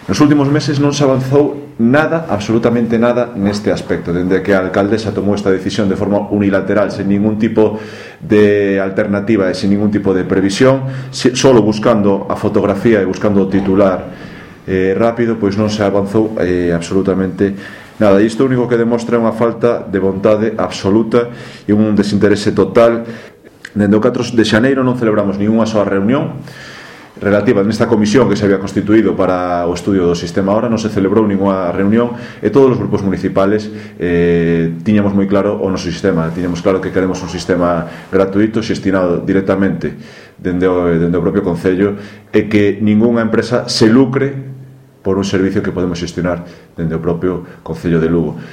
Nos últimos meses non se avanzou nada, absolutamente nada, neste aspecto, dende que a alcaldesa tomou esta decisión de forma unilateral, sen ningún tipo de alternativa e sen ningún tipo de previsión, solo buscando a fotografía e buscando o titular rápido, pois non se avanzou absolutamente nada. E isto único que demostra é unha falta de vontade absoluta e un desinterese total. Dende o 4 de xaneiro non celebramos ninguna soa reunión relativa nesta comisión que se había constituído para o estudio do sistema. Ahora non se celebrou ninguna reunión e todos os grupos municipales tiñamos moi claro o noso sistema. Tiñamos claro que queremos un sistema gratuito xestionado directamente dende o propio Concello e que ningunha empresa se lucre por un servicio que podemos xestionar dende o propio Concello de Lugo.